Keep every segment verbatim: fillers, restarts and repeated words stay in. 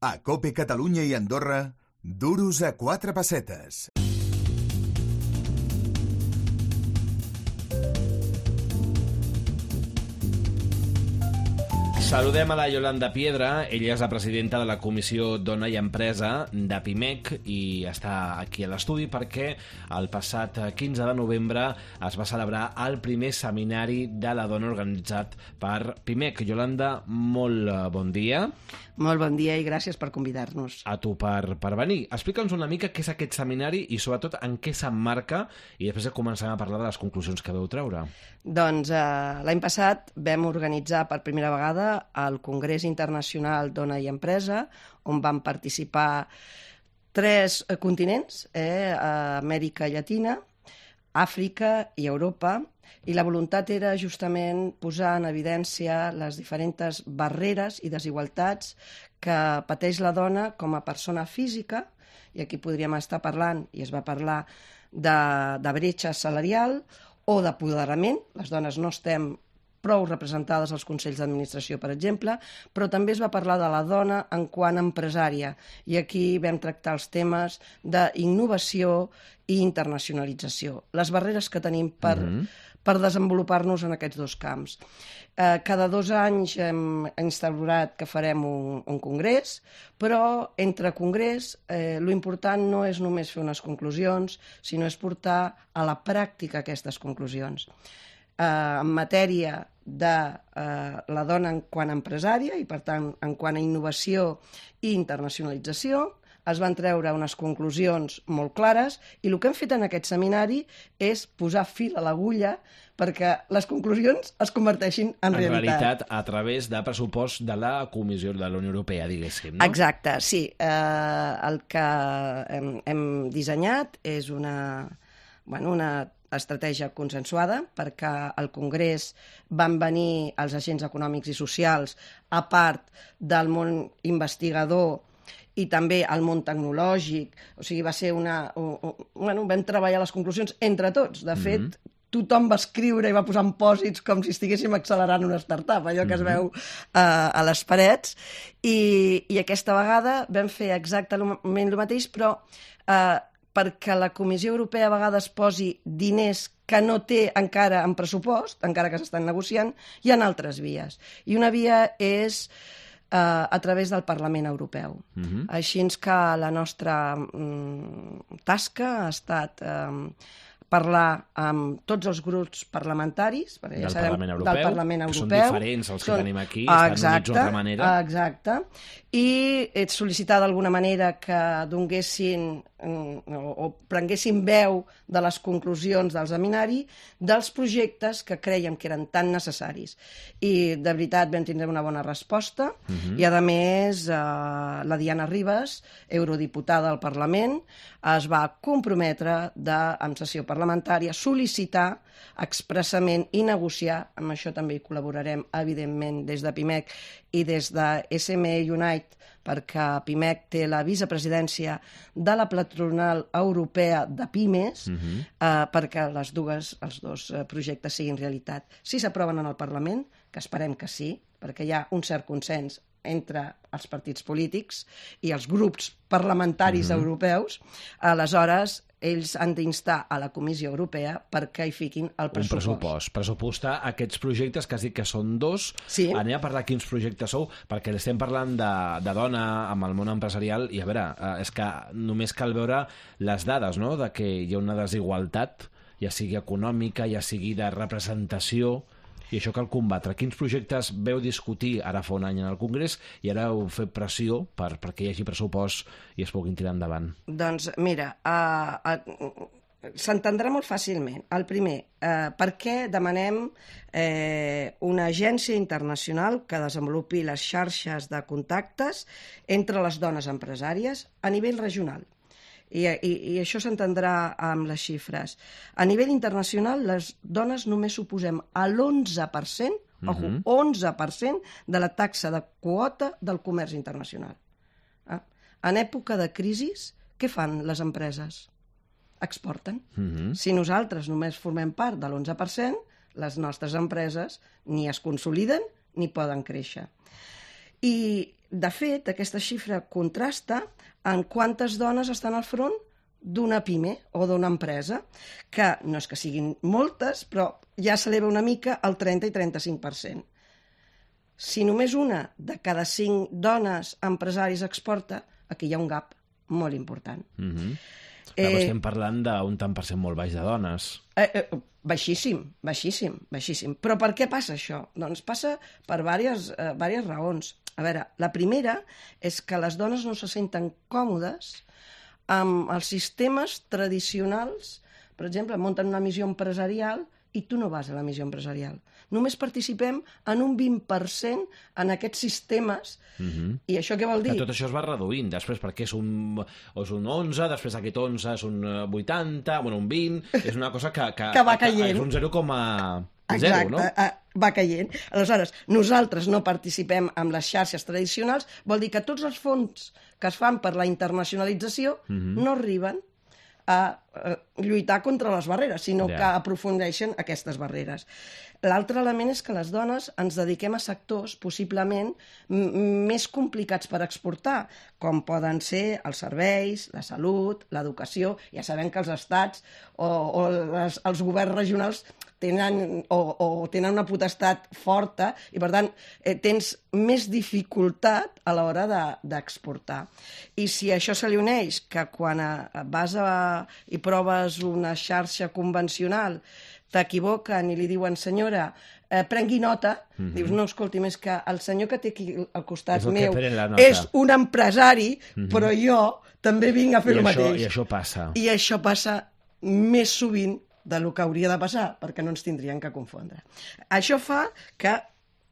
A COPE Catalunya i Andorra, duros a quatre pessetes. Saludem a la Yolanda Piedra, ella és la presidenta de la Comissió Dona i Empresa de PIMEC i està aquí a l'estudi perquè el passat quinze de novembre es va celebrar el primer seminari de la dona organitzat per PIMEC. Yolanda, molt bon dia. Molt bon dia i gràcies per convidar-nos. A tu per, per venir. Explica'ns una mica què és aquest seminari i sobretot en què s'emmarca i després començarem a parlar de les conclusions que vau treure. Doncs eh, l'any passat vam organitzar per primera vegada el Congrés Internacional Dona i Empresa, on van participar tres continents, eh, Amèrica Llatina, Àfrica i Europa, i la voluntat era justament posar en evidència les diferents barreres i desigualtats que pateix la dona com a persona física, i aquí podríem estar parlant, i es va parlar, de, de bretxa salarial o d'apoderament. Les dones no estem prou representades als consells d'administració, per exemple, però també es va parlar de la dona en quant a empresària, i aquí vam tractar els temes d'innovació i internacionalització, les barreres que tenim per, mm-hmm. per desenvolupar-nos en aquests dos camps. Eh, cada dos anys hem instaurat que farem un, un congrés, però entre congrés eh, l'important no és només fer unes conclusions, sinó és portar a la pràctica aquestes conclusions. Eh, en matèria de eh, la dona en quant a empresària i, per tant, en quant a innovació i internacionalització, es van treure unes conclusions molt clares i el que hem fet en aquest seminari és posar fil a l'agulla perquè les conclusions es converteixin en, en realitat. En realitat, a través de pressupost de la Comissió de la Unió Europea, diguéssim, no? Exacte, sí. Eh, el que hem, hem dissenyat és una, bueno, una estratègia consensuada perquè al Congrés van venir els agents econòmics i socials, a part del món investigador i també el món tecnològic. O sigui, va ser una... Bueno, vam treballar les conclusions entre tots. De fet, mm-hmm. tothom va escriure i va posar en pòsits com si estiguéssim accelerant una startup, allò que es veu uh, a les parets. I, I aquesta vegada vam fer exactament el mateix, però uh, perquè la Comissió Europea a vegades posi diners que no té encara en pressupost, encara que s'estan negociant, hi ha altres vies. I una via és Uh, a través del Parlament Europeu. Uh-huh. Així que la nostra um, tasca ha estat um, parlar amb tots els grups parlamentaris del, ja sabem, Parlament Europeu, del Parlament Europeu, que són diferents els que són, tenim aquí, exacte, estan units d'altra manera. Exacte, i ets sol·licitar d'alguna manera que donguessin o, o prenguessin veu de les conclusions del seminari dels projectes que creiem que eren tan necessaris. I de veritat vam tindre una bona resposta, uh-huh. i a més eh, la Diana Ribas, eurodiputada al Parlament, es va comprometre de, en sessió parlamentària, sol·licitar expressament i negociar, amb això també hi col·laborarem, evidentment, des de PIMEC i des de S M E Unite, perquè PIMEC té la vicepresidència de la patronal europea de Pimes, uh-huh. eh, perquè les dues, els dos projectes siguin realitat. Si s'aproven en el Parlament, que esperem que sí, perquè hi ha un cert consens entre els partits polítics i els grups parlamentaris uh-huh. europeus, aleshores ells han d'instar a la Comissió Europea perquè hi fiquin el pressupost. Un pressupost. Pressupostar aquests projectes que has dit que són dos. Sí. Anem a parlar quins projectes sou, perquè estem parlant de, de dona amb el món empresarial i, a veure, és que només cal veure les dades, no?, de que hi ha una desigualtat, ja sigui econòmica, ja sigui de representació, i això cal combatre. Quins projectes veu discutir ara fa un any en el Congrés i ara heu fet pressió per, perquè hi hagi pressupost i es puguin tirar endavant? Doncs mira, uh, uh, s'entendrà molt fàcilment. El primer, uh, per què demanem eh, una agència internacional que desenvolupi les xarxes de contactes entre les dones empresàries a nivell regional? I, i, i això s'entendrà amb les xifres. A nivell internacional, les dones només suposem a l'onze per cent, uh-huh. ojo, onze per cent de la taxa de quota del comerç internacional. Eh? En època de crisi, què fan les empreses? Exporten. Uh-huh. Si nosaltres només formem part de l'onze per cent, les nostres empreses ni es consoliden ni poden créixer. I, de fet, aquesta xifra contrasta en quantes dones estan al front d'una pime o d'una empresa, que no és que siguin moltes, però ja s'eleva una mica al trenta i trenta-cinc per cent. Si només una de cada cinc dones empresaris exporta, aquí hi ha un gap molt important. Mm-hmm. Eh, Però estem parlant d'un tant per cent molt baix de dones. Eh, eh, baixíssim, baixíssim, baixíssim. Però per què passa això? Doncs passa per diverses, eh, diverses raons. A veure, la primera és que les dones no se senten còmodes amb els sistemes tradicionals. Per exemple, munten una missió empresarial i tu no vas a la missió empresarial. Només participem en un vint per cent en aquests sistemes. Mm-hmm. I això què vol dir? Que tot això es va reduint després, perquè és un, és un onze, després aquest onze és un vuitanta, bueno, un vint, és una cosa que... Que, que va caient. Que és un zero coma zero, Exacte, no? Exacte, va caient. Aleshores, nosaltres no participem en les xarxes tradicionals, vol dir que tots els fons que es fan per la internacionalització mm-hmm. no arriben a lluitar contra les barreres, sinó yeah. que aprofundeixen aquestes barreres. L'altre element és que les dones ens dediquem a sectors possiblement més complicats per exportar, com poden ser els serveis, la salut, l'educació. Ja sabem que els estats o, o les, els governs regionals tenen, o, o tenen una potestat forta i, per tant, eh, tens més dificultat a l'hora d'exportar. I si això se li uneix que quan a, vas a, i proves una xarxa convencional t'equivoquen i li diuen, senyora, eh, prengui nota, mm-hmm. dius, no, escolti, més que el senyor que té aquí al costat és meu és un empresari, mm-hmm. però jo també vinc a fer I el això, mateix. I això passa. I això passa més sovint del que hauria de passar, perquè no ens tindrien que confondre. Això fa que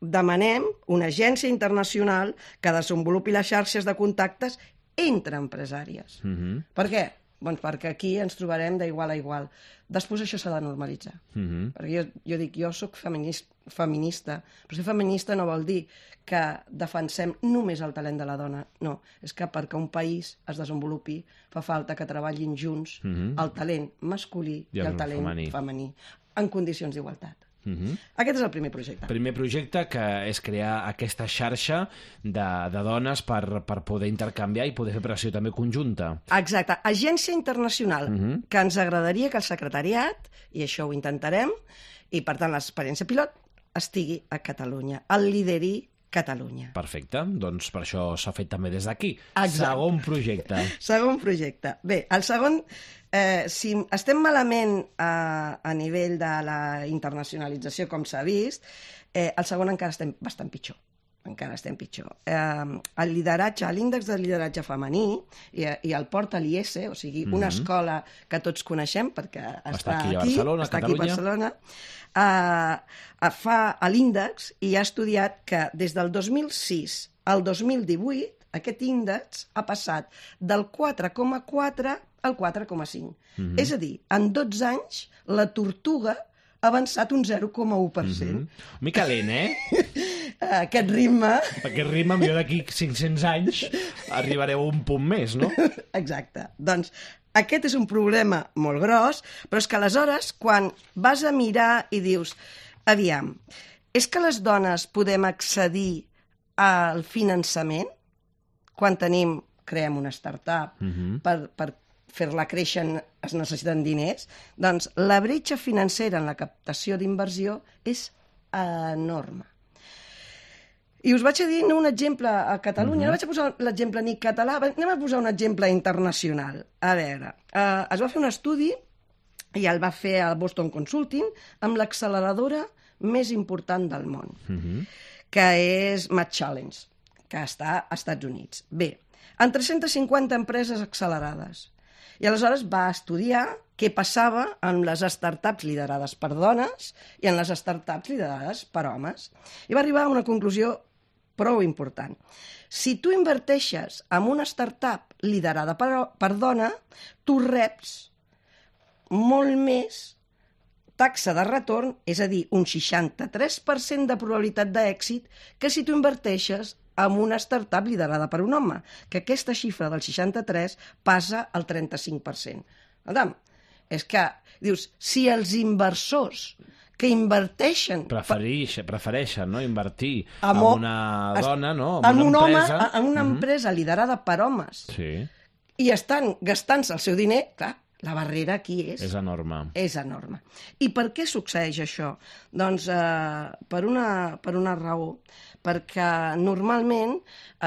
demanem una agència internacional que desenvolupi les xarxes de contactes entre empresàries. Mm-hmm. Per què? Doncs perquè aquí ens trobarem d'igual a igual. Després això s'ha de normalitzar. Mm-hmm. Perquè jo, jo dic, jo sóc feminista, feminista, però ser feminista no vol dir que defensem només el talent de la dona. No, és que perquè un país es desenvolupi fa falta que treballin junts mm-hmm. el talent masculí i, i el talent femení, femení en condicions d'igualtat. Mm-hmm. Aquest és el primer projecte. Primer projecte que és crear aquesta xarxa de, de dones per, per poder intercanviar i poder fer pressió també conjunta. Exacte. Agència internacional, mm-hmm. que ens agradaria que el secretariat, i això ho intentarem, i per tant l'experiència pilot, estigui a Catalunya, el lideri Catalunya. Perfecte, doncs per això s'ha fet també des d'aquí. Exacte. Segon projecte. Segon projecte. Bé, el segon, eh, si estem malament a, a nivell de la internacionalització, com s'ha vist, eh, el segon encara estem bastant pitjor. encara estem pitjor. Eh, el lideratge, l'índex de lideratge femení, i, i el porta l'I S, o sigui, una mm-hmm. escola que tots coneixem, perquè està, està aquí, aquí, a Barcelona, està Catalunya. aquí a Barcelona, eh, fa l'índex i ha estudiat que des del dos mil sis al dos mil divuit aquest índex ha passat del quatre coma quatre al quatre coma cinc. Mm-hmm. És a dir, en dotze anys la tortuga ha avançat un zero coma u per cent. Mm-hmm. Mica lent, eh? Aquest ritme... Aquest ritme, millor d'aquí cinc-cents anys arribareu a un punt més, no? Exacte. Doncs aquest és un problema molt gros, però és que aleshores, quan vas a mirar i dius, aviam, és que les dones podem accedir al finançament? Quan tenim, creem una startup mm-hmm. per, per fer-la créixer es necessiten diners, doncs la bretxa financera en la captació d'inversió és enorme. I us vaig a dir un exemple a Catalunya, mm-hmm. no vaig a posar l'exemple ni català, anem a posar un exemple internacional. A veure, eh, es va fer un estudi, i el va fer el Boston Consulting, amb l'acceleradora més important del món, mm-hmm. que és Math Challenge, que està als Estats Units. Bé, en tres-centes cinquanta empreses accelerades. I aleshores va estudiar què passava en les startups liderades per dones i en les startups liderades per homes. I va arribar a una conclusió prou important. Si tu inverteixes en una startup liderada per, per dona, tu reps molt més taxa de retorn, és a dir, un seixanta-tres per cent de probabilitat d'èxit, que si tu inverteixes amb una startup liderada per un home, que aquesta xifra del seixanta-tres passa al trenta-cinc per cent. Adam, és que, dius, si els inversors que inverteixen... Preferix, prefereixen no? invertir en una dona, no? en, en una un empresa... home, en una mm-hmm. empresa liderada per homes. Sí. I estan gastant-se el seu diner, clar, la barrera aquí és... És enorme. És enorme. I per què succeeix això? Doncs eh, per, una, per una raó. Perquè normalment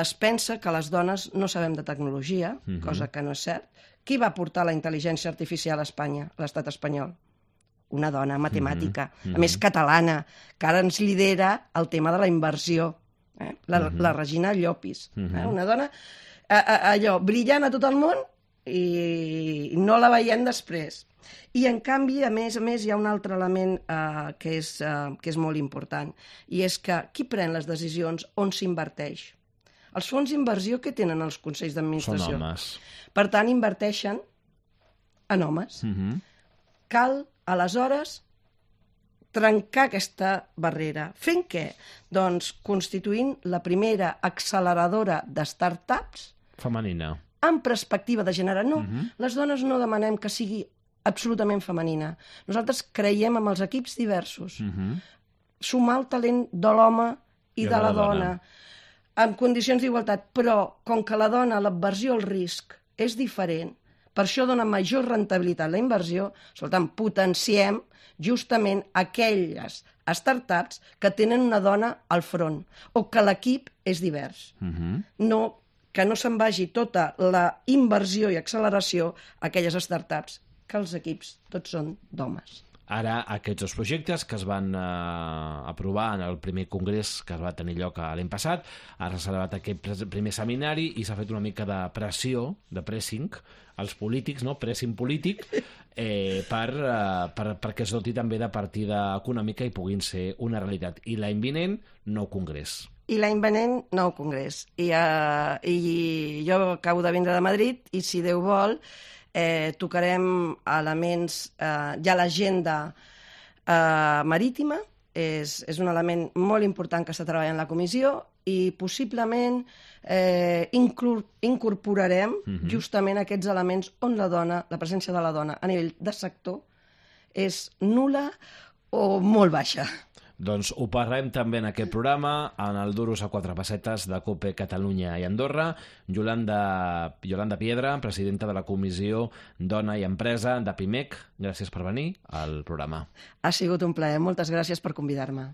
es pensa que les dones no sabem de tecnologia, mm-hmm. cosa que no és cert. Qui va portar la intel·ligència artificial a Espanya, a l'estat espanyol? Una dona matemàtica, mm-hmm. a més catalana, que ara ens lidera el tema de la inversió. Eh? La, mm-hmm. la Regina Llopis. Mm-hmm. Eh? Una dona a, a, allò, brillant a tot el món i no la veiem després. I, en canvi, a més a més, hi ha un altre element eh, que, és, eh, que és molt important, i és que qui pren les decisions on s'inverteix? Els fons d'inversió que tenen els consells d'administració? Són homes. Per tant, inverteixen en homes. Mm-hmm. Cal, aleshores, trencar aquesta barrera. Fent què? Doncs constituint la primera acceleradora de start-ups Femenina. amb perspectiva de gènere. No, Mm-hmm. les dones no demanem que sigui absolutament femenina. Nosaltres creiem en els equips diversos. Mm-hmm. Sumar el talent de l'home i, I de la, la dona. dona. En condicions d'igualtat, però com que la dona, l'aversió al risc és diferent, per això dona major rendibilitat a la inversió, escolta'm, potenciem justament aquelles startups que tenen una dona al front o que l'equip és divers. Mm-hmm. No, que no se'n vagi tota la inversió i acceleració a aquelles startups, que els equips tots són d'homes. Ara, aquests dos projectes que es van eh, aprovar en el primer congrés que es va tenir lloc l'any passat, ara s'ha celebrat aquest primer seminari i s'ha fet una mica de pressió, de pressing, als polítics, no? Pressing polític, eh, per, eh, per, perquè es doti també de partida econòmica i puguin ser una realitat. I l'any vinent, nou congrés. I l'any venent, nou congrés. I, uh, I jo acabo de vindre de Madrid i, si Déu vol, eh, tocarem elements... Eh, ja l'agenda eh, marítima és, és un element molt important que està treballant la comissió i possiblement eh, incorporarem mm-hmm. justament aquests elements on la dona, la presència de la dona a nivell de sector és nul·la o molt baixa. Doncs ho parlem també en aquest programa, en el Duros a quatre pessetes de COPE Catalunya i Andorra. Yolanda, Yolanda Piedra, presidenta de la Comissió Dona i Empresa de PIMEC, gràcies per venir al programa. Ha sigut un plaer, moltes gràcies per convidar-me.